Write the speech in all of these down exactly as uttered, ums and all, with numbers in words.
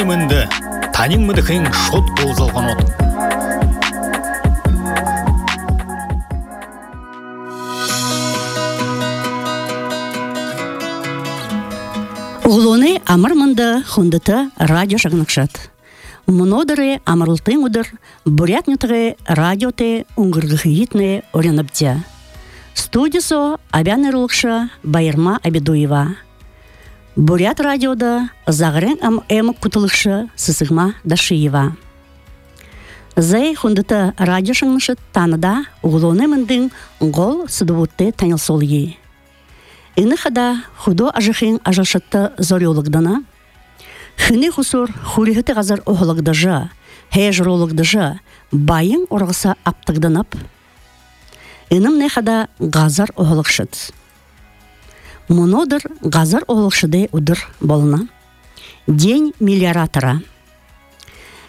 мынды, танин мыды хен шот болзалған от. Углоны амыр мынды хундыты радио шагнакшат. Мнодыры амырлтың удыр, бурятнютығы радиоты уңгыргыхиитны оряныбдя. Студисо абянырылықшы Байырма Абедуева. Бурят радиода зағырен ам эмік кутылықшы Сысығма Дашиева. Зай хундыты радио шагнакшат таныда углоны мындың ғол сыдывутты танылсолы. Иныхада худо ажыхин ажалшатты зориологдана, хыны хусур хурихыты газар оғылагдажа, хейжрологдажа, байын орғыса аптығданап, иным нехада газар оғылықшыд. Монодыр газар оғылықшыды удыр болына. День миллиаратора.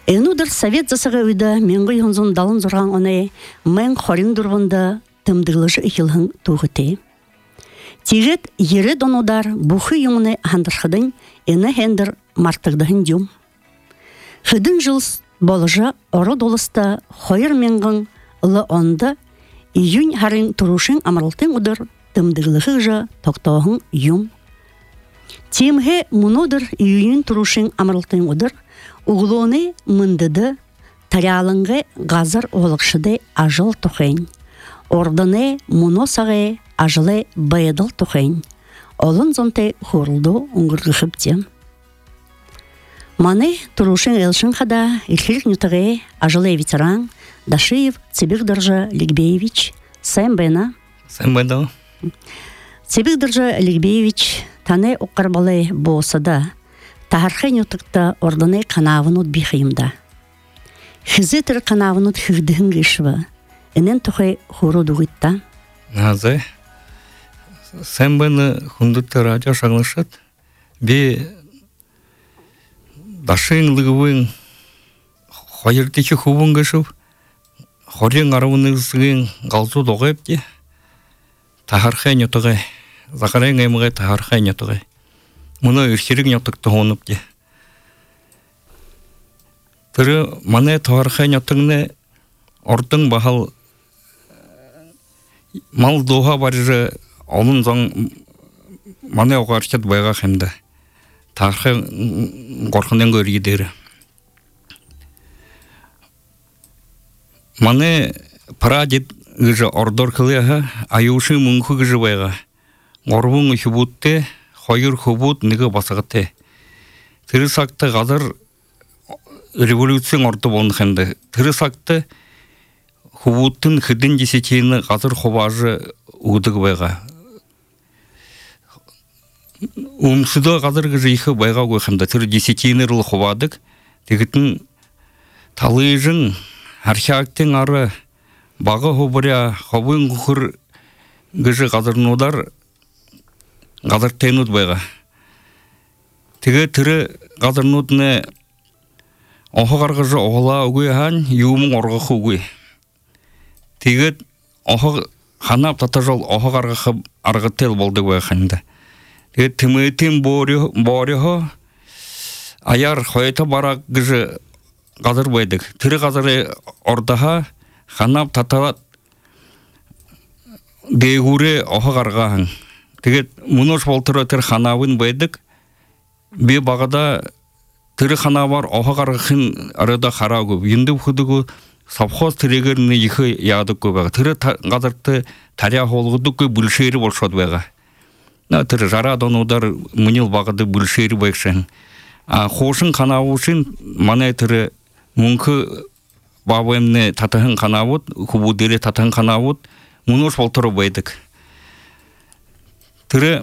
Инудыр совет засығы үйді менгі юнзун далын зорған оны мен хорин дұрғында тымдығылыжы ихилхын туғыты. Тигет ері донудар бұхы юмыны хандырхыдың ені хендір мартығдығын дюм. Хыдың жылс болыжа оры долыста хойыр менгің ылы онды июнь харын тұрушын амырылтың ұдыр тымдығылығы жа тоқтауғын юм. Темге мұнудыр июнь тұрушын амырылтың ұдыр ұғылуыны мындыды тарялыңғы ғазар оғылықшыды ажыл тұқын. Ордыны мұносағы ажылы байыдыл тұқын. Олын зонты хорылды ұңғырғықыпте. Маны тұрушын елшін қада илхилік нютығы ажылы ветеран Дашиев Цибигдыржа Лигбеевич Сэмбэна. Сэмбэна. Цибигдыржа Лигбеевич таны оқарбалы болсада тахархы нютықта ордыны қанавынут бихиымда. Хизетір қанавынут хигдігін гешві. Энен тухай хору дугитта. Назай. Сэмбэна хундытты радио шагнашат. Би Дашин лыгывын хойырдекі хубын гешв. Хорин арауынызығын ғалзу доғайып де. Тахархай нетуғай. Зақарайын әміғай тахархай нетуғай. Мұны үрхерік нетуқты онып де. Түрі маны тахархай нетуғыны ордың бағал мал доға барыжы олын зоң маны оғаршат байға қемді. Тахархай қорқынен көргедері. Маны прадед гыжы ордор кылыға аюшы мұңқы гыжы байға. Орбың үхібутты, хойыр хубут ныгы басығыты. Тірі сақты ғазыр революцияң орды болын қанды. Тірі сақты хубуттың хыдын десетейіні ғазыр хубажы ұғдығы байға. Умсыды ғазыр гыжы иқы байға көйқанды. Тірі десетейіні рыл хубадық. Тегітін талыжың археактың ары бағы хубыря хобын құқыр гыжы ғазырнудар ғазыр тайнуд байға. Теге түрі ғазырнудыны оғы ғарғыжы оғыла өгей хан, еуімің орғықы өгей. Теге оғы ханап татажол оғы ғарғықы арғытел болды байға ханды. Теге тімейтін борығы аяр қойта барақ гыжы ғазыр байдық. Түрі ғазыры ордаға ханап таталат дейгуры оғы ғарғағын. Тегет мұныш болтыры түр ханавын байдық. Бе бағада түрі ханавар оғы ғарғықын арада қара көп. Енді бұқыдығы сапхоз түрегеріне ехі яғдық көп. Түрі ғазырты тария қолғыдық көп бүлшері болшады байға. Түрі жара донудар мұнил бағады бүлшері байқшын. Қошын қанауышын мана түрі мұңқы бабымны татығын қанауыд, құбудері татығын қанауыд, мұныш болтыры байдық. Түрі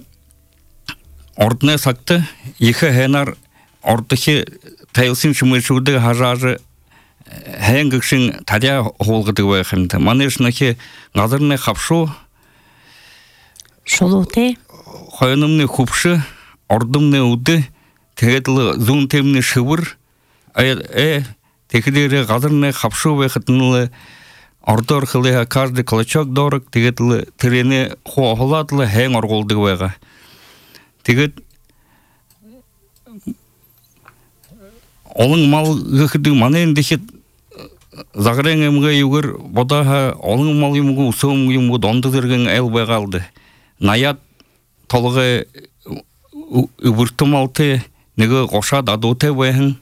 ордына сақты, екі хәнар ордығы тәйілсін шымышуды ғажажы хәңгікшін тария қолғыды байқынды. Манешінікі ғазырны қапшу, шолуты, қойынымны құпшы, ордымны ұды, тәгетлі зұн темні шывыр, ә, текедері ғазырны қапшу байқытынылы орды орқылыға кажды кылычок дорық, тегетлі тірені қоғыладылы хәң орғылды байға. Тегет Олың мал гыхды манен дехет загрен эмге югер бода олың мал юмгу сом юмгу донды дерген эл байгалды. Наят толгы үбүртүмалты неге коша дадуте байхын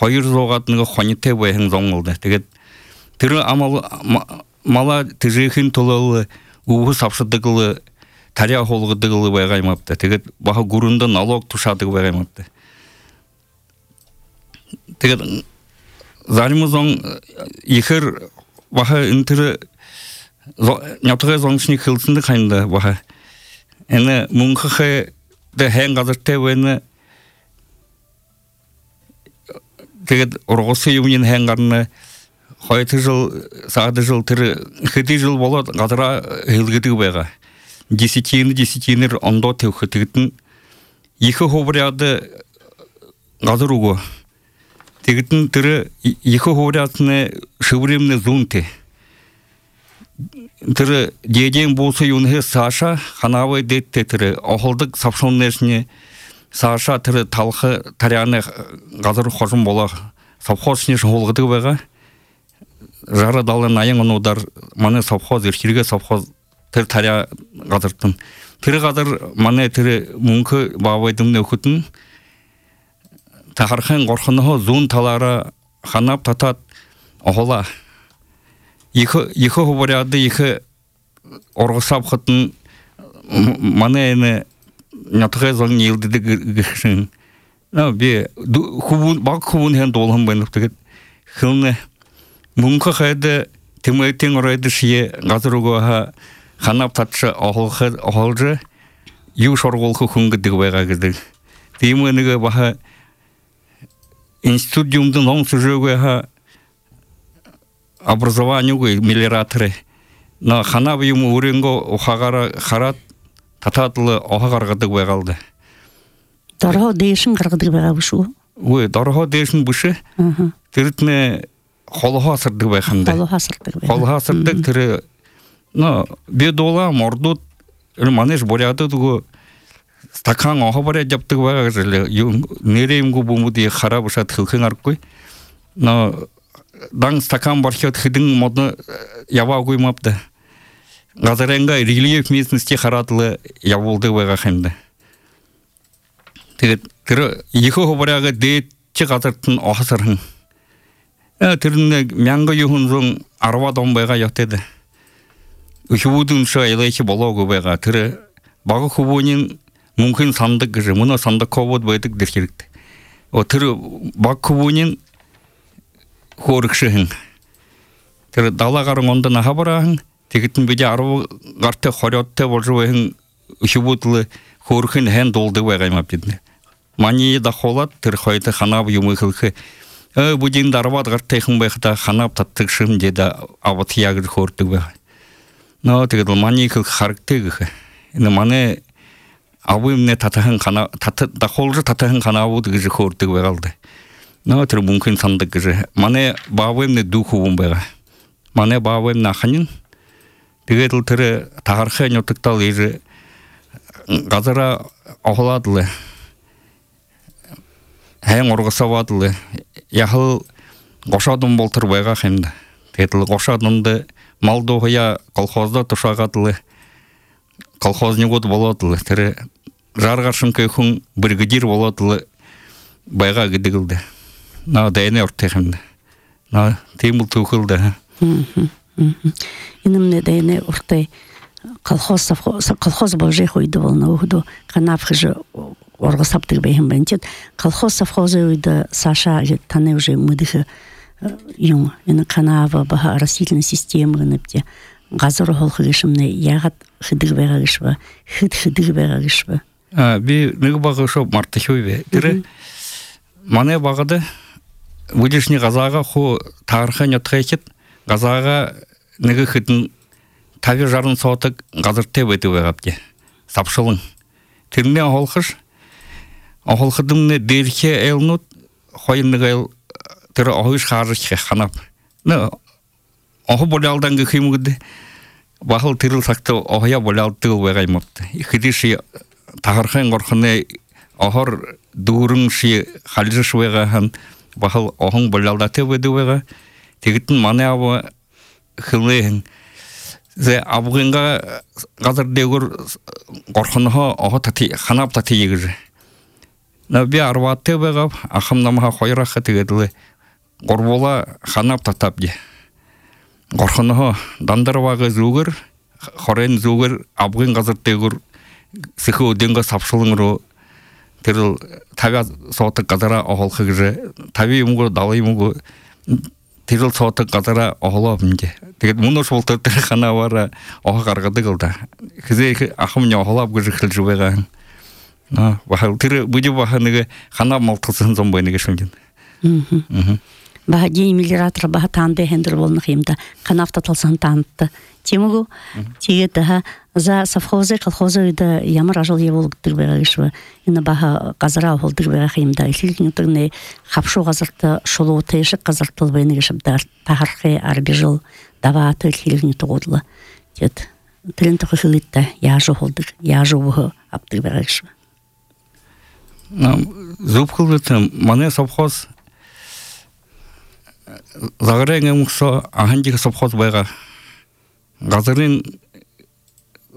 Hayır zoğatını xonite bayhın zonuldu. Teget tırı amal mala tijihин tolalı uğu sapşıdıgılı таря холгыдыгылы байгаймапты. Teget baha gurunda налог тушадыгы байгаймапты. Teget zalimuzon ихер baha intiri нятыгы зоңшник хылсынды кайында baha. Эне мунхы де хэн газырте вене Teget orgosu yumun hengarны hayatı jıl sağdı jıl tırı hıdı jıl bolat gadara hılgıdı bayga. Десятины десятинер ондо тевхытыгытын екі хобряды гадыруго. Тегытын тыры екі хобрядыны шывремны зунты. Тыры деден болса юнхе Саша ханавы детте тыры охылдык сапшоннесіне Саша тыры талхы таряны газыр хожым бола совхозне жолгыды байга жара далы найын онудар маны совхоз ирхирге совхоз тыр таря газыртын тыры газыр маны тыры мункы бабайдым өкүтүн тахархан горхыны зун талара ханап татат охола екі екі хобаряды екі оргысап хытын маны эне Нятыгы зоң елдіді гішін. Би баг хубун хен долғын байнып тегет. Хылны мұңқы қайды темейтен орайды шие ғазыруға ханап татшы оғылжы ю шорғолқы күнгідігі байға кірді. Деймінігі баға институт жұмдың оң сүжеуге образованиуға мелиораторы. Ханап юмы өренгі оғағара қарат тататлы оха каргыдык байгалды. Дарho дейшин каргыдык байгабышу. Ой, дарho дейшин бушы. Тиритне холоха сырдык байханды. Холоха сырдык. Холоха сырдык тири. Но бедола мордут манеш боряды дугу стакан оха баря жаптык байгажылы. Нереймгу бумуди харабышат хылхын аркой. Но дан стакан бархет хидин модны ява коймапты. Газаренга рельеф местности харатлы яволды байга хенде. Тегет тиры екі хобаряга дейтчі газыртын охасырхын. Тиринне мянга юхун зоң арва дон байга яқтеді. Үшівудың ша елайчы болауғы байга тиры бағы хубонин мүмкін сандық гыжы. Мұна сандық ковод байдық деркерікті. О тиры бағы хубонин хорықшыхын. Тиры дала ғарын онда наха барахын. Тегеттің беде ару ғарты хорятты болжуайын үшібутлы хорықын хэн долды байғаймап деді. Мании да холат, тір қойты ханап юмы қылқы. Будин дарват ғартайқын байқыда ханап таттықшым деді абат ягыр хорты байға. Но тегеді мани қылқы харықты ғықы. Маны абымне татахын ханап, да холжы татахын ханабуды ғыжы хорты байғалды. Но тір мүмкін сандық ғыжы. Маны бабымне духуым байға. Маны бабымне ақанын. Тегетіл тірі тағарқы нөтіктал ежі ғазыра оғыладылы, әйін орғысавадылы, яхыл қошадым болтыр байға қемді. Тегетіл қошадымды малдоғыя колхозда тұшағадылы, колхозны ғод боладылы, тірі жарғашын көйхін біргідер боладылы байға гідігілді. На дәйіне ұртты қемді. На тейміл тұқылды. Инымне дайне уртай колхоз колхоз божи хойду волна угду канап хыжы оргасаптык бейхим бенчет колхоз совхозы уйда Саша таны уже мыдыхы юм ина канава баха растительная система гыныпте газыр холхыгышымны ягат хыдык байгагышва хыд хыдык байгагышва а би нэг багы шоп мартыхуйбе тире мане багыды выдишни газага ху тарха нётхэкет газага неге хитин тави жарын сотык газырте бету байгапте сапшылын тирне холхыш охолхыдымны дерхе элнут хойныгыл тир охыш харыш ханап не охо болалдан гыхимгыды бахыл тирил сакты охя болалты байгаймапты хидиши тахархан горхны охор дурун ши халжыш байгахан бахал оһың болалдаты бедуга тегитин маны абы хылын зе абгынга газар дегөр горхонхо оһо тати ханап тати егер на би арватты бегап ахамнамха хойрахы тегедле горбола ханап татапди горхонхо дандарвага зугер хорен зугер абгын газар дегөр сихо денга сапшылыңро тэр тага соотак газара оһолхыгы таби юмго далы юмго тэр соотак газара оһолобнде тэгээд мунош болтор тэр хана бара оһо гаргадаг алда хизээ ахым оһолоб гүж хилжбега на бахал тэр бүди баханыг хана малтсан зомбойныг шүндин мм бахади миллиратор бахатанде хендер болны химда канафта талсан танты темгу тиета за совхозы колхозы да ямар ажыл еволгдыр бегешва ина баха газара холдыр бегахимда илгинтүгне хапшу газарта шулу тешик газартыл бенегешбдар тахархы арбижыл даваты илгин тогудла тет трент хылытта яжу холдыр яжу бу аптыр бегешва нам зупхылты мане совхоз загрэнгэ муксо аханжиг совхоз байга газарын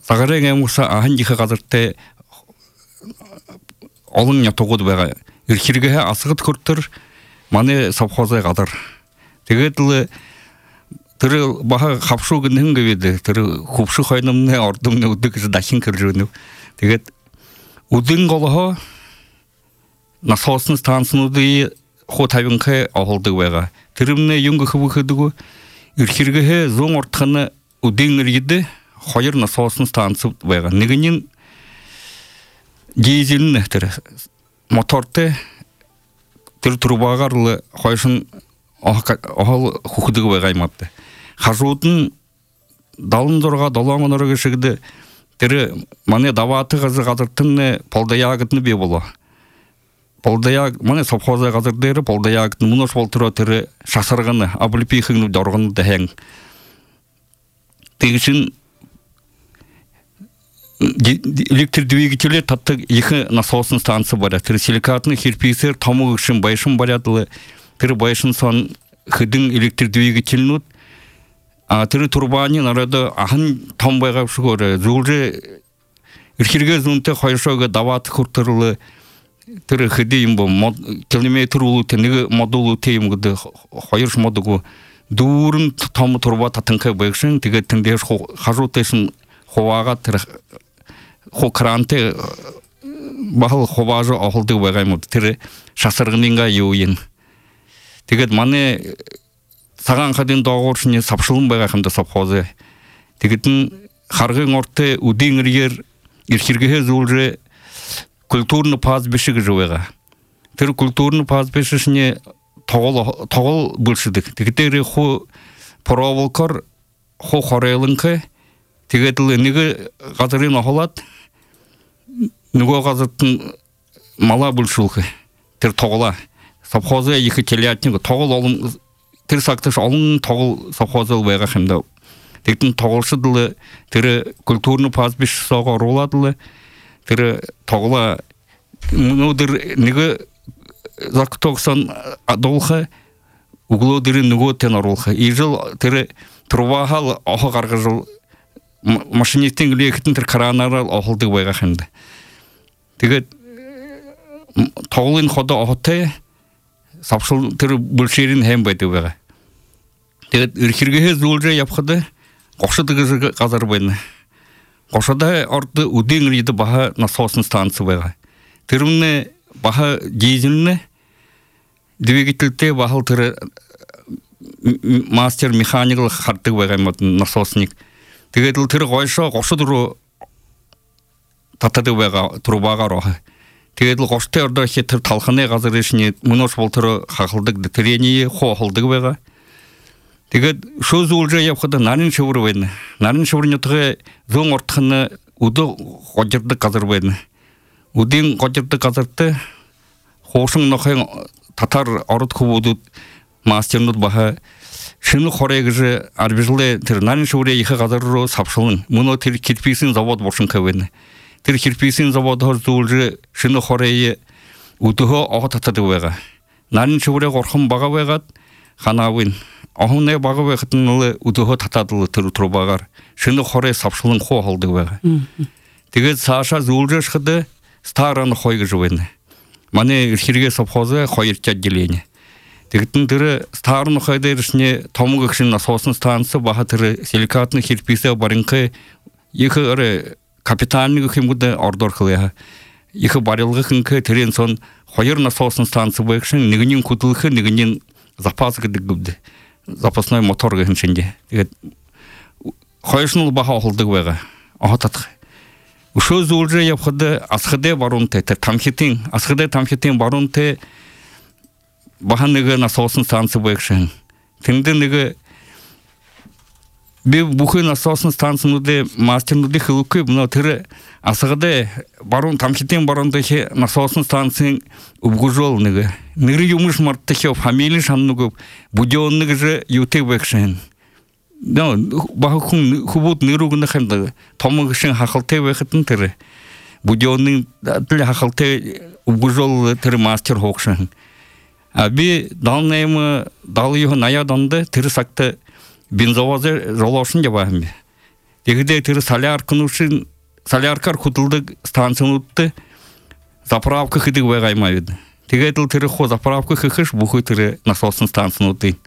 загрэнгэ муксо аханжиг газартай олон ятогод байга ирхэргээ асгад көртөр мане совхозой газар тэгээд л тэр баха хавшуу гэнэн гэвэд тэр хөвшө хойномны ордомны өдөг дахин кэржүүнэ тэгээд үдэн голоо насоосон станцнуудын хуу тавинхэ оholдог байга тэрмнэ юнг хөвөхөдөг ирхэргээ зүүн уртханы үдэн иргэд хоёр насоосон станц байга нэг нь дизель тэр мотортой тэр трубагаар л хойшин оол хөхдөг байга юм аа хажууд нь седемдесет шесть долооноор гişгдэ тэр манай давааты газартын полдаягд нь бий болоо полдаяг мане совхозы газар дээр полдаягд мунош болтро тэр шасарганы аблипихын доргон дэхэн тэгшин электр двигатель татдаг их насосын станция бар тэр силикатны кирпичер томугшин байшин барядлы тэр байшин сон хыдын электр двигательнүүд а тэр турбаны нарада ахан том байгаав шгөр зүлжэ ирхэргээ зүнтэй хоёршоог даваат хүртэрлэ тэр хэдий юм бо километр улут нэг модул тийм гэдэг хоёр модуг дүүрэн том турба татанхай байгшин тэгээд тэндээс хажуутэйсэн хуваагаа тэр ху кранте бахал хуваажо оholдог байгаа юм тэр шасаргынга юу юм тэгээд манай цагаан хадын доогууршны савшилан байгаа хэмдэ совхозы тэгээд н харгын ортой үдийн иргээр ирхэргээ зүйлрэ культурный пастбище гэж байгаа. Тэр культурный пастбишний тогол тогол бүлшдэг. Тэгэхээр хуу проволокор хуу хорейланхэ тэгээд л нэг газрын охолоод нөгөө газартын мала бүлшүүлэх тэр тоглоо совхозы их телятник тогол олон тэр сагташ олон тогол совхозол байгаа юм да. Тэгтэн тоглолшд л тэр культурный пастбиш сого оруулаад л тэр тоглоо нүдэр нэг зактогсон адуулха углуудэр нөгөө тэн оруулха ижил тэр трубахал охо гаргаж машинистийн лектэн тэр кранаар оholдог байгаа юм да. Тэгээд тоглын ходо охотой савшил тэр бүлшэрийн хэм байдаг байгаа. Тэгээд ирхэргээ зүйлрээ явхад гошдог газар байна. Гошдоо орд үдийн иргэд баха насоосон станц байгаа. Тэрмнэ баха дизельнэ двигательтэй бахал тэр мастер механик хардаг байгаа юм насоосник. Тэгээд л тэр гойшоо гошд руу татдаг байгаа трубагаар аа. Тэгээд л гоштой ордоо хэ тэр талхны газар ишний мөнош болтор хахалдаг тэрэний хоолдог байгаа. Тэгээд шөө зүйлрээ явхад нарийн шөвөр байна. Нарийн шөврнөтгөө зүүн уртхны өдөө гожирдаг газар байна. Үдийн гожирдаг газартай хуушин нохын татар ород хөвүүдүүд мастернууд баха шинэ хорыг арбижлээ тэр нарийн шөврээ их газар руу савшилан мөнөө тэр кирпичийн завод бушинхай байна. Тэр кирпичийн завод хор зүйлрээ шинэ хорыг өдөө охот татдаг байгаа. нарин шөврэ горхон бага байгаад ханавын ахны бага байхтнылы удоо татадылы төр трубагаар шинэ хорэ савшлын хоо холдог байгаа. Тэгээд цаашаа зүүлжэш хэдэ старан хойгож байна. Манай хэрэг совхозы хоёр отделение. Тэгтэн тэр старан хойдэршний томог гişin насосон станц баха тэр силикатны кирписе барынхы их капитальный хэмгүүд ордор хлаа. Их барилгынхы тэрэн сон хоёр насосон станц байгшин нэгний хөдөлгөх нэгний запас гэдэг гүд. Запасной мотор гэх шинжээ. Тэгээд хоёршнул баха холдог байгаа. Ахатах. Өшөө зүйлрээ явхад асхадэ баруунтай тэр тамхитын асхадэ тамхитын баруунтай баха нэг насосон станц байгшин. Тэнд нэг би бүхэн насосон станцнуудын мастернуудын хэлэхгүй бно тэр асхадэ баруун тамхитын баруунтай насосон станцын өвгөжөл нэг нэр юмш мартах фамили шаннуг будённик же ютэг байгшин. Да бахун хубут нэрүүгнэ хэмдэг том гişin хахалтай байхад нь тэр будённик тэр хахалтай өвгөжөл тэр мастер хоогшин. А би данным далыйх ная донда тэр сакта бензовозы жолошин жабаам. Тэгдэ тэр соляркнушин соляркар хөдөлдөг станцнуудтай заправка хийдэг байгаймаа. Тэгээд л тэр хуу заправка хийхш бүхий тэр насосон станцнуудын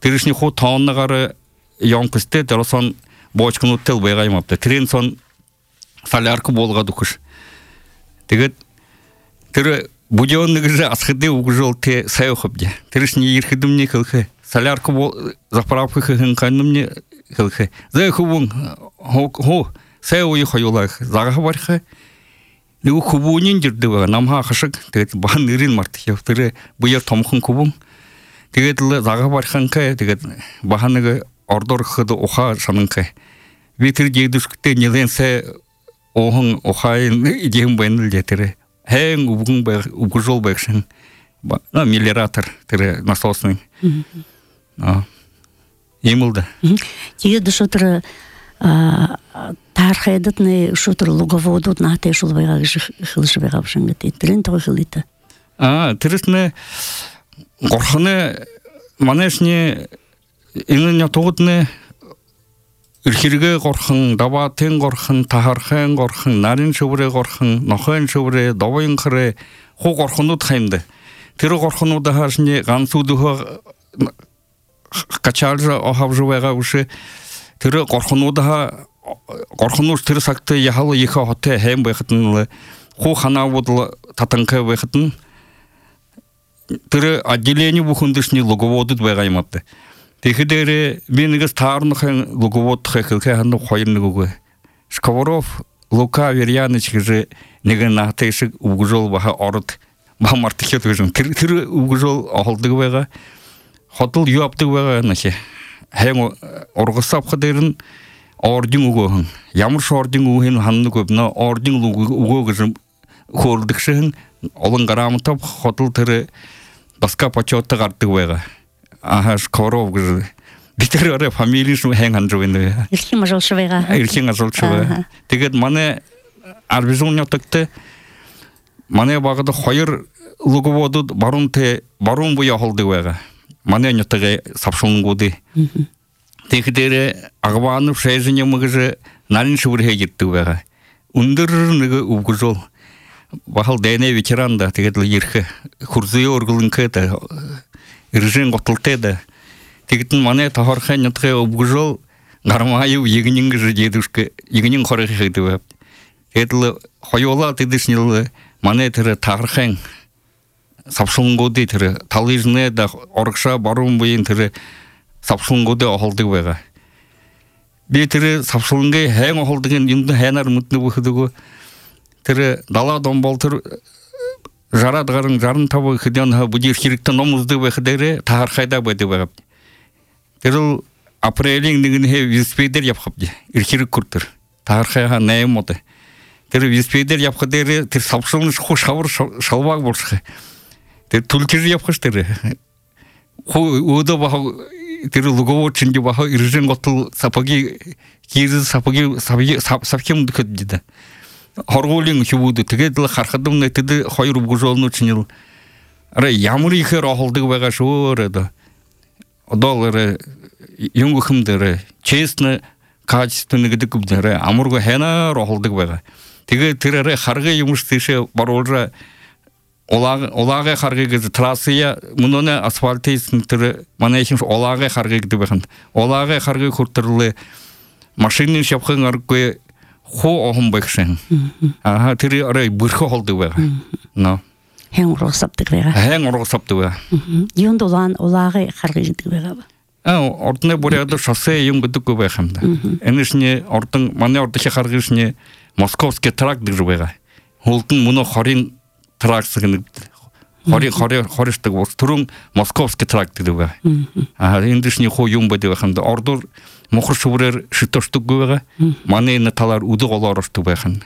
тэршний хуу тоонныгаар ёнкстэй тэрсэн боочкнуудтай байгаймаа. Тэрэн сон солярка болгоод өгш. Тэгээд тэр будённик же асхады угжолте сайохобде. Тэршний ерхэдэмний хэлхэ солярка заправка хийхэн канымны хэлхэ. Зэхүүн хоо сайои хоёулах загахвархэ. Нэг хөвүүнийн жирдэг намха хашиг тэгээд бахан нэрийн мартах тэр буяр томхон хөвөн. Тэгээд л загахварханхэ тэгээд бахан нэг ордорход уха сананхэ. Би тэр жигдэвчтэй нэлэнсэ охон ухайн идэм байна л тэр. Хэн үгэн баг үгжол багшин на миллиратор тэр насосны а имэлдэ тэгээд шотер тархайдны шотер луговодууд наатай шул байгаа гэж хэлж байгаа юм гэдэг тэрэн тоо хэлээд а тэрсне горхны манайшны энэ нятуудны эрхэргээ горхон, даваатын горхон, тахархан горхон, нарийн шөврээ горхон, нохойн шөврээ, довын хрээ хуу горхонууд хаймда. Тэр горхонууд хаашны ганц үдөө качаалж ахавж байгаа үш тэр горхонууд ха горхонууд тэр сагт яхал их хотэ хайм байхад нь хуу ханаавууд татанхай байхад нь тэр отделение бүхэндшний логоводод байгаа юм аа. Тэгэхээр би нэгс таарнахын луговод хэлхэ ханаа хоёр нэг үгүй. Сковоров, Лука Верьяныч гэж нэг наатай шиг үгжол баха орд ба мартахад гэж тэр тэр үгжол холдог байгаа. Хотол юу авдаг байгаа нэхэ. Хэн ургасавх дээр нь ордын өгөөн. Ямар ч ордын өгөөн ханнаг өвнө ордын өгөө гэж хөөрдөг шин олон грамотов хотол тэр баска почетта гардаг байгаа. Ахаш коров гэж битэрээ фамили шүү хэн ханжвэн. Ирхэн ажуулшвэга. Ирхэн ажуулшвэ. Тэгээд манай арбизоньотогт манай багад хоёр луговодод баруунте баруун буяа холдог байгаа. Манай нятага савшунгуудыг. Тэгэхээр агваан шэжнэм гэж нарийн шүр хийгддэг байгаа. Өндөр нэг өвгөжөө бахал дэне ветеранда тэгээд л ирэх хурзээ өргөлөнхөд иржин готолтой да. Тэгтэн манай тохорхон нятхэ өвгөжөө гармааю ягнин гэж ядушг ягнин хорих хийдэг. Тэгээд л хоёулаа тэдэшнэл манай тэр тахархан савшунгуудыг тэр талижнэ да оргша баруун буйн тэр савшунгуудыг холдог байгаа. Би тэр савшунгийн хэн холдгийн юмд хайнаар мэднэ бүхэдэг. Тэр далаа домбол тэр жараад гарын жаран тав хэдэн бүжир хэрэгтэй ном үздэг байх дээр таархайда байдаг байгаа. Тэр апрелийн нэгэн виспедер явах бай. Ирхэрэг хүртэр. Таархайха нэм мод. Тэр виспедер явах дээр тэр савшун хуш хавар шалваг болчих. Тэр түлхэр явах штэр. Хөө өдөө бах тэр луговод чинь бах иржин готл сапаги киз сапаги савхим дэхэд. Хоргуулийн хөвүүд тэгээд л харахад нэтэд хоёр өвгөжөлнүүд чинь аре ямар ихэр ахалдаг байгаа шүү одоо одоолэр юнгу хэмдэр честно качественно гэдэг үгдэр амургу хэнаар ахалдаг байгаа. Тэгээ тэрээр харгын юмш тийшээ баруулра улааг улаагийн харгыг трассия мөнөө асфальтын тэр манай их улаагийн харгыг гэдэг байна. Улаагийн харгыг хүртэрлээ машины шавхан аргагүй хоо охон багшин. Аа тэр арай бүрхэ холдог байгаа. Но хэн ургасапдаг байгаа. Хэн ургасапдаг байгаа. Юунд улаан улаагийн харгыг гэдэг байгаа. Аа ордны бүрээд шоссе юм гэдэггүй байх юм да. Энэшний ордон манай ордын харгышний Московский тракт гэж байгаа. Хулдан мөнөө хорийн тракс гэнэ хорийн хорийн хоришдаг ус түрүүн Московский тракт гэдэг байгаа. Аа эндшний хуу юм байдаг байх юм да. Ордор мохор шүрээр шитөшдөггүй байгаа. Манай энэ талаар үдэг олоор ордог байх юм.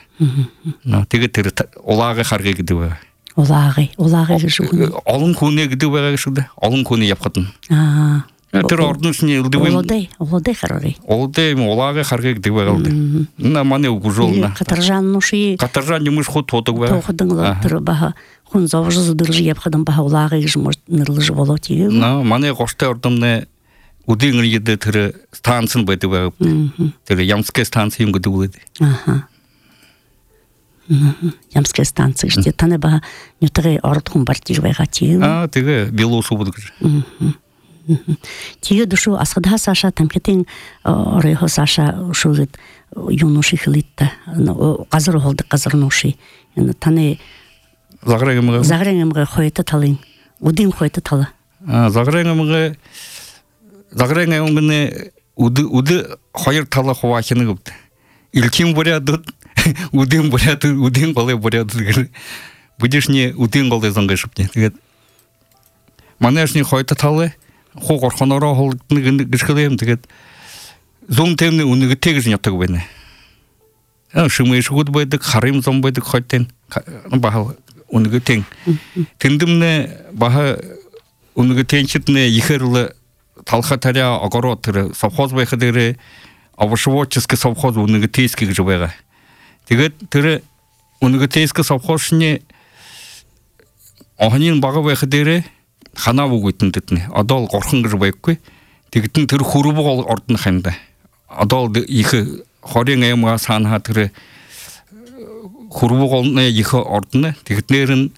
Наа тэгээд тэр улаагийн харгыг гэдэг байгаа. Улаагийн улаагийн гэж үг. Олон хүнээ гэдэг байгаа шүү дээ. Олон хүнээ явхад нь. Аа тэр ордносны үлдэвэн улаадэ улаадэ харгыг. Улаадэ улаагийн харгыг гэдэг байгаа л. На манай үгжүүлнэ. Катаржан нуши. Катаржан юмш хот тодог байгаа. Тоходон тэр баха хүн зовж зүдэрж явхад баха улаагийн гэж нэрлэж болоод ирэв. На манай гоштой ордомны үдийн иргэд тэр станц нь байдаг байгаа. Тэр Ямская станц юм гэдэг үг. Аха. Ямская станц гэж таны баха нютгээ орд хүн бартиг байгаа чи. Аа тэгээ Белоусов гэж. Тэгээд шүү асгадаа саша тамхитын оройхоо саша шүүгэд юунуши хэлитта газар холдог газар нуши таны загрэгэмгэ загрэгэмгэ хойто талын үдийн хойто тала аа загрэгэмгэ загрэгэмгэ үд үд хоёр тала хуваахны гэвд илким буряд үдийн буряд үдийн голой буряд гэр будишний үдийн голой зангашпне тэгээд манайшны хойто талы хуу горхонороо холдны гэрхлэм тэгээд зүүн тэмний үнэг тэгж нятаг байна. Аа шимэшгүүд байдаг, харим зам байдаг хойтын баха үнэг тэн. Тэндэмнэ баха үнэг тэнчитнэ ихэрл талха таря огороо тэр совхоз байхад дээр авшвочский совхоз үнэг тейский гэж байгаа. Тэгээд тэр үнэг тейский совхозны охинын бага байхад дээр ханаа үгүйтэндэтнэ одоо л горхон гэж байхгүй тэгтэн тэр хөрвөг ордон хэмдэ одоо л их хорийн аймгаа санаа тэр хөрвөг олны их ордон тэгтнэр нь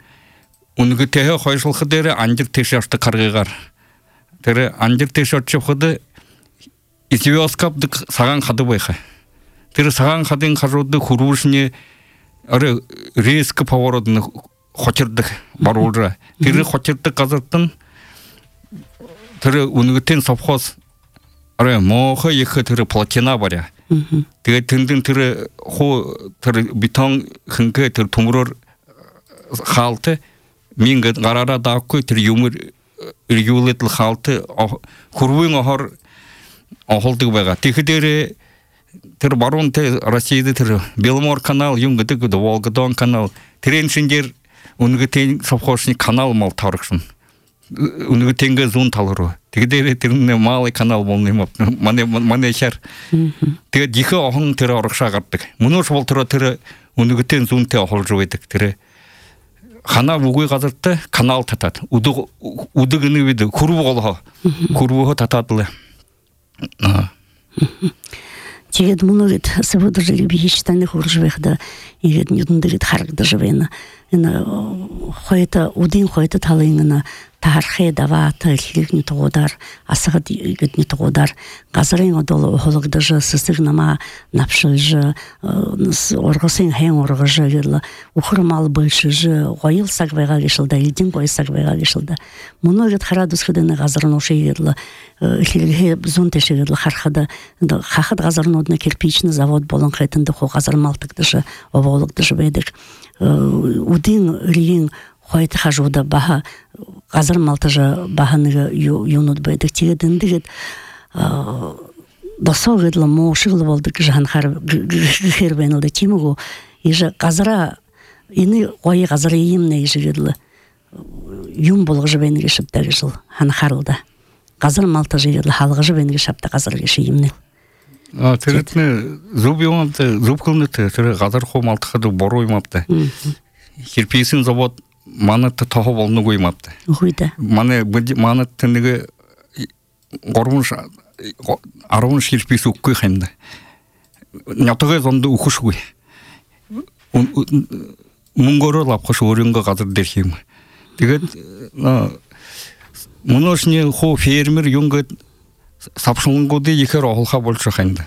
үнэтэй хойшлох дээр анжир тэш явдаг харгыгаар тэр анжир тэш очход ивёскапдаг саган хадаг байха тэр саган хадын харууд хөрвөшний аре риск поворот нь хочирдаг баруулра тэр хочирдаг газартан тэр үнэтэй совхоз аре моохо их тэр платина баря тэгээд тэндэн тэр хуу тэр бетон хэнгэ тэр төмрөр хаалт мингэд гараараа даахгүй тэр юмэр иргүүлэл хаалт хөрвийн охор охолдог байгаа тэгэхээр тэр баруун тэ Россияд тэр Беломор канал юм гэдэг Волгодон канал тэрэн шинжээр үнэтэй совхозны канал мал тарагсан. Үнэтэйгээ зүүн тал руу. Тэгээд тэрний малый канал болно юм. Манай манай шар. Тэгээд их охон тэр оргошаа гардаг. Мөнөөс бол тэр тэр үнэтэй зүүнтэй олж байдаг. Тэр ханаа үгүй газартай канал татаад үдэг үдэг нэвэд хөрвөг олоо. Хөрвөг татаад л. Аа. Тэгээд мөнөөд сэвэдэрэг би хийштаны хурж байхад игээд нүдэнд харагдаж байна. Энэ хойто үдийн хойто талын таархэ даваата хэлхний тугудар асгад гэдний тугудар газрын одол хологдож сэсэг нама навшилж оргосын хэн оргож гэл ухрмал бэлшиж гойл саг байгаа гişэлдэ эдин гой саг байгаа гişэлдэ мөнөөд хараад үсгэдэн газар нушигэл хэлхээ зүүн тэшгэл харахад хахад газарнуудны кирпичный завод болон хэтэнд хуу газар малтагдаж овоологдож байдаг үдийн рийн хойт хажууд баха газар малтажа баханыг юунууд байдаг тэгээд эндгээд досоогд л моошгол болдог гэж ханахаар гэр байна л да чимээгөө иж газара энэ гоё газар юм нэ гэжэл юм болгож байна гэж шавтаа гэж ханахаар л да газар малтаж ил хаалгаж байна гэж шавтаа газар гэж юм нэ а тэрэтнэ зүб юмд зүбхүнэт тэр газар хуу малтахад буруу юм авта кирпичный завод манатты тоғы болны қоймапты. Қойды. Маны манатты неге ғорғыныш арғыныш келшпесі өккөй қаймды. Нятығы зонды ұқыш қой. Мұңғыры лапқыш өрінгі қазір дерхеймі. Дегет, мұны үшіне қо фермер юңғы сапшылың қоды екер оғылға болшы қаймды.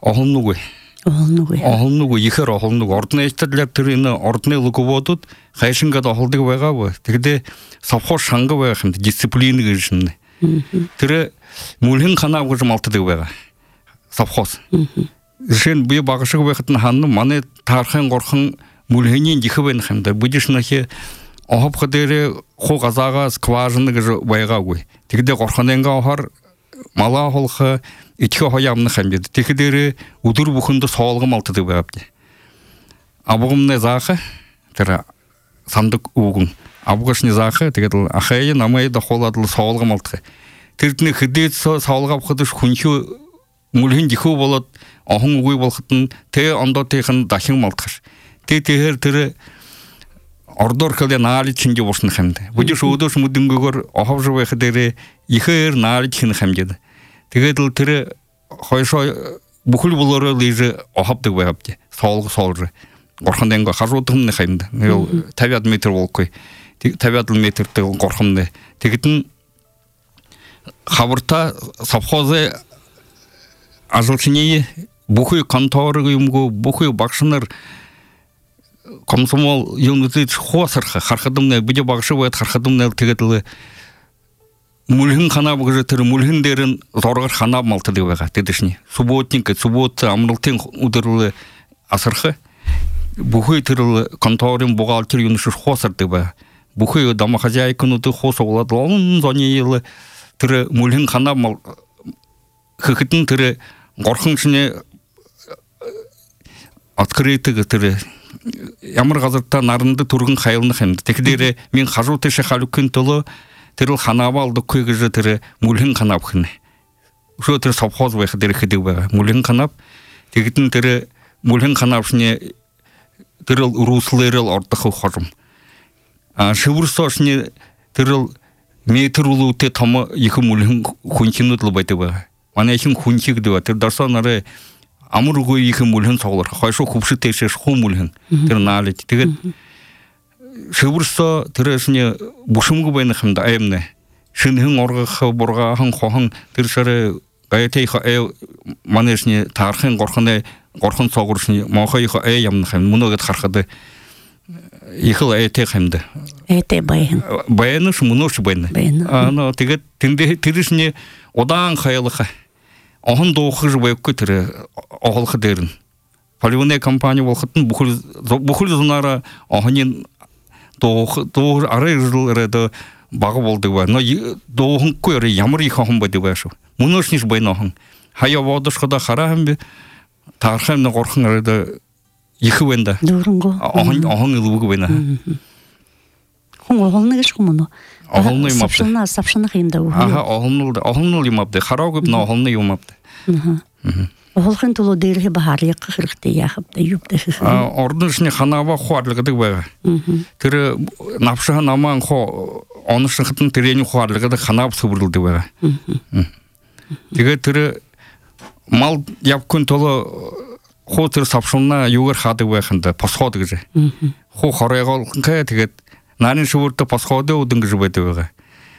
Оғылны қой. Оғылны қой, екер оғылны қой. Ордына естірлер түріне ордына ұлығы бодуд, қайшынға да оғылдығы байға бой. Дегеде сапқош шаңғы байға қымды, дисциплины кішінді. Түрі мүлхін қанағы жымалтыдығы байға. Сапқоз. Жен бұй бағышығы байқытын ханны маны тарқын қорқын мүлхінен дихы байын қымды. Бұдешінахе оғып қыдері қо қазаға скважынығы байға қой. Дегеде қорқыненға оғар мала қолқы итке хоямны қамбеді. Текедері ұдыр бұқынды соғылғым алтыды байапты. Абығымны зақы, тірі сандық ұғын. Абығышны зақы, тегеділ ақайы намайы да қоладылы соғылғым алтығы. Тіртіні қыдет соғылғап қыдыш күнші мүлхін диху болады, оғын ұғый болқытын, те онда текін дахың малтығыш. Те тегер тірі ордор көлде наали чинге болсын қамды. Бұдыш ұдыш мұдыңғы көр оғап жывай қыдері ехер наали чин қамдеді. Тегеділ тірі қойшой бүкіл бұлары лейжі оғапты байапты. Соғылғы соғылжы. Қорқындайынға қажу отырмын қаймды. Табиат метр бол қой. Табиат метрді қорқымды. Тегетін қабырта сапхозы ажылшынейі бүкіл конторы ұйымғы, бүкіл бақшыныр комсомол юнуты хосырха хархадымны биде багышы бает хархадымны тегетиле мулхин хана бугы тер мулхиндерин зоргар хана малты дебага тедишни субботник суббота амрылтын удырлы асырхы бухой терлы конторин бухгалтер юнушы хосыр деба бухой дома хозяйканы ты хос олад он зонейлы тер мулхин хана мал хыкытын тер горхыншыне открытыгы тер Ямар қазыртта нарынды тұрғын қайылны қаймды. Текдері мен қажу теші қалы күн толы тіріл қанабы алды көйгізі тірі мүлін қанап қыны. Шо тірі сапхоз байқы дері қыдығы байға. Мүлін қанап, тегетін тірі мүлін қанап шыне тіріл ұрусылырыл ордықы қожым. Шывырса шыне тіріл метр ұлы өте тамы екі мүлін хүншін өтілі байды байға. Мана ешін хүнші кіді ба. Тір дарсан ары Амыр ғой екі мүлін соғылыр. Қайшы құпшы тешеш қу мүлін. Тір налет. Тегет шыбырса тіресіне бұшымғы байны қымды айымны. Шынхын орғықы бұрғағын қоғын тіршары ғаятайқы әй манешіне тарқын қорқындай қорқын соғыршыне мауқайқы әй ямны қымды. Мұны өгет қарқады ехіл әйтай қымды. Әйтай байын. Байыны шы мұны шы байны. Байыны. Тегет тіресіне одан қайылықы. Оғын доғықы жыбай көтірі оғылқы дерін. Поливанай компания болқытын бүкіл зұнара оғынен доғы ары жылыры бағы болды ба. Доғын көйірі ямыр екі оғын байды ба шу. Мұны үшінеш байын оғын. Хая вадышқыда қарағын бе, тарқымны қорқын арыда екі бәнді. Дұрынғы. Оғын үлігі байна. Хұң оғылны кеш құмыны? Оғылны емапты. Сапшына, сапшына қиымда оғылы. Аға, оғылны емапты. Қарау көп, но оғылны емапты. Оғылғын тұлы дейірге бағарлығы қырықты яқыпты, юбді қықы. Ордың ішіне қанава қуарлығыдық бәға. Тірі напшыған аман онышын қытын тірені қуарлығыдық қанап сұбырылды бәға. Деге тірі мал япкүн толы қо тірі сапшылына югір қады бәғында, пасқоды кізі. Қо қарайға олқын қая тегет Нарин шуурта пасходы удыңғы жібайты бәға.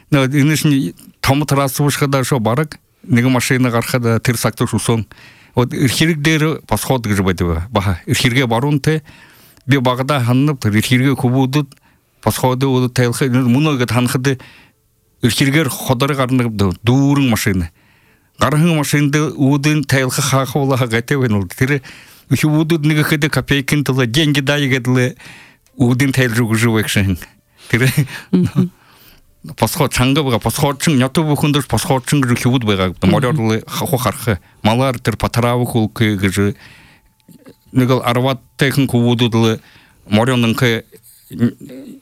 Инышын тамы тарасы бұшқада шо барық, неге машина қарқада тір сақты шусон. Ирхиргдері пасходы жібайты бәға. Баға, ирхирге баруын те, бе бағыда ханынып, ирхирге күбудыд, пасходы уды тәйлқы, мұны өгет ханқыды ирхиргер қодары қарынығыпды, дұрың машина. Қарың машинды удын тәйлқы қақы олаға ғайты бән олды. Тірі, үші удыд неге қыды копейкін тұлы, денге дайы кәділі Удин тайл жүгі жүвекшін. Тірі, пасхот чаңғы бұға, пасхотчың, няты бұқындыр пасхотчың жүгі кеуд бұға, морярлы қақу қарқы, малар тір патаравы құлқы ғыжы, негіл арват тәйқін құвудыдылы, морянның қы,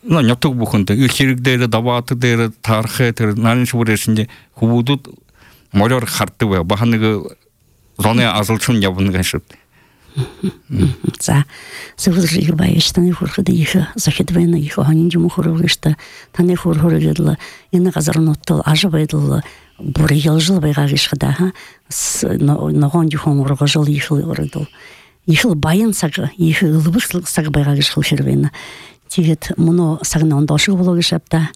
няты бұқынды, үхерігдері, даватыдері, тарқы, тір, нарыншы бұрешінде құвудыд, моряр қарты бұға, бағанығы зоны азылчын ябын ғашыпты. За сөвөж их баяж таны хурхад их захидвена их ханин жум хургышта таны хурхургедла энэ газар ноттол ажбайдл бүр ялжил байгаагиш хада ха ногоон жухон ургажил их урдл их баян саг их лбыс саг байгаагиш хурхервена тэгээд муно сагнон дошиг бологишапта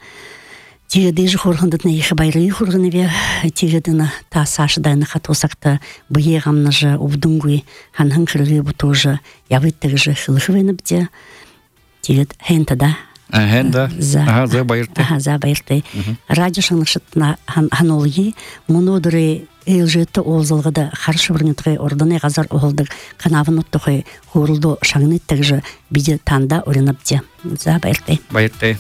тэгээд дэжи хурхандат на их байры хургневе тэгээд на та сашда на хатусакта быегамна же убдунгуй ханхан хыргы бутужа явыттыгы же хылхвенбде тэгээд хентада хенда ага за байрты ага за байрты радио шанышытна ханолги мунодыры элжетті олзылғыда қаршы бірнетқи ордыны ғазар оғылдық қанавын ұттықи хурылды шаңнеттігі же биде танда орынапте за байрты байрты